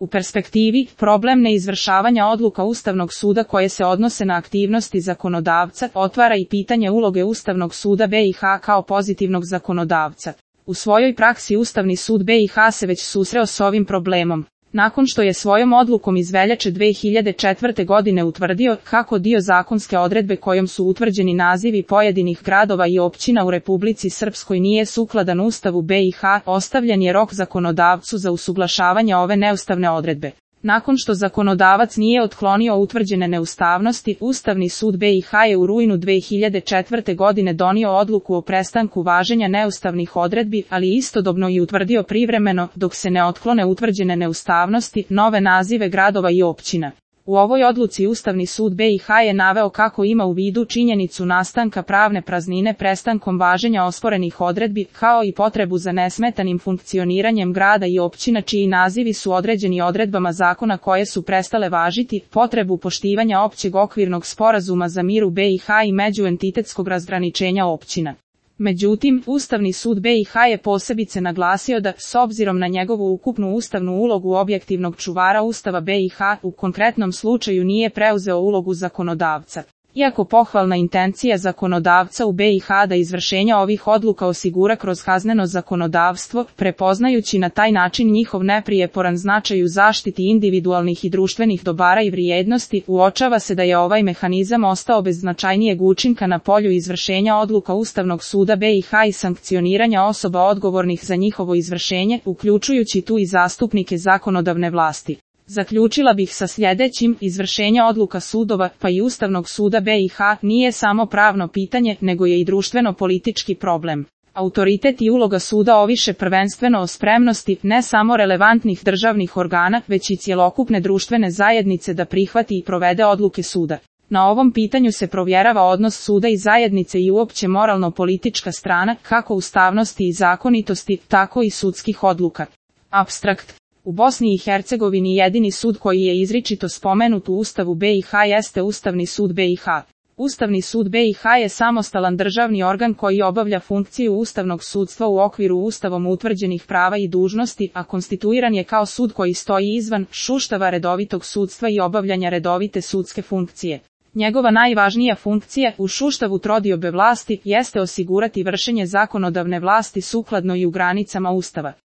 U perspektivi, problem neizvršavanja odluka Ustavnog suda koje se odnose na aktivnosti zakonodavca otvara i pitanje uloge Ustavnog suda BiH kao pozitivnog zakonodavca. U svojoj praksi Ustavni sud BiH se već susreo s ovim problemom. Nakon što je svojom odlukom iz veljače 2004. godine utvrdio kako dio zakonske odredbe kojom su utvrđeni nazivi pojedinih gradova i općina u Republici Srpskoj nije sukladan Ustavu BiH, ostavljen je rok zakonodavcu za usuglašavanje ove neustavne odredbe. Nakon što zakonodavac nije otklonio utvrđene neustavnosti, Ustavni sud BiH je u rujnu 2004. godine donio odluku o prestanku važenja neustavnih odredbi, ali istodobno i utvrdio privremeno, dok se ne otklone utvrđene neustavnosti, nove nazive gradova i općina. U ovoj odluci Ustavni sud BiH je naveo kako ima u vidu činjenicu nastanka pravne praznine prestankom važenja osporenih odredbi, kao i potrebu za nesmetanim funkcioniranjem grada i općina čiji nazivi su određeni odredbama zakona koje su prestale važiti, potrebu poštivanja općeg okvirnog sporazuma za mir u BiH i međuentitetskog razgraničenja općina. Međutim, Ustavni sud BiH je posebice naglasio da, s obzirom na njegovu ukupnu ustavnu ulogu objektivnog čuvara Ustava BiH, u konkretnom slučaju nije preuzeo ulogu zakonodavca. Iako pohvalna intencija zakonodavca u BiH da izvršenje ovih odluka osigura kroz kazneno zakonodavstvo, prepoznajući na taj način njihov neprijeporan značaj u zaštiti individualnih i društvenih dobara i vrijednosti, uočava se da je ovaj mehanizam ostao bez značajnijeg učinka na polju izvršenja odluka Ustavnog suda BiH i sankcioniranja osoba odgovornih za njihovo izvršenje, uključujući tu i zastupnike zakonodavne vlasti. Zaključila bih sa sljedećim: izvršenje odluka sudova, pa i Ustavnog suda BiH, nije samo pravno pitanje, nego je i društveno-politički problem. Autoritet i uloga suda oviše prvenstveno o spremnosti, ne samo relevantnih državnih organa, već i cjelokupne društvene zajednice da prihvati i provede odluke suda. Na ovom pitanju se provjerava odnos suda i zajednice i uopće moralno-politička strana, kako ustavnosti i zakonitosti, tako i sudskih odluka. Apstrakt. U Bosni i Hercegovini jedini sud koji je izričito spomenut u Ustavu BiH jeste Ustavni sud BiH. Ustavni sud BiH je samostalan državni organ koji obavlja funkciju ustavnog sudstva u okviru Ustavom utvrđenih prava i dužnosti, a konstituiran je kao sud koji stoji izvan šuštava redovitog sudstva i obavljanja redovite sudske funkcije. Njegova najvažnija funkcija, u sustavu trodiobe vlasti, jeste osigurati vršenje zakonodavne vlasti sukladno i u granicama Ustava.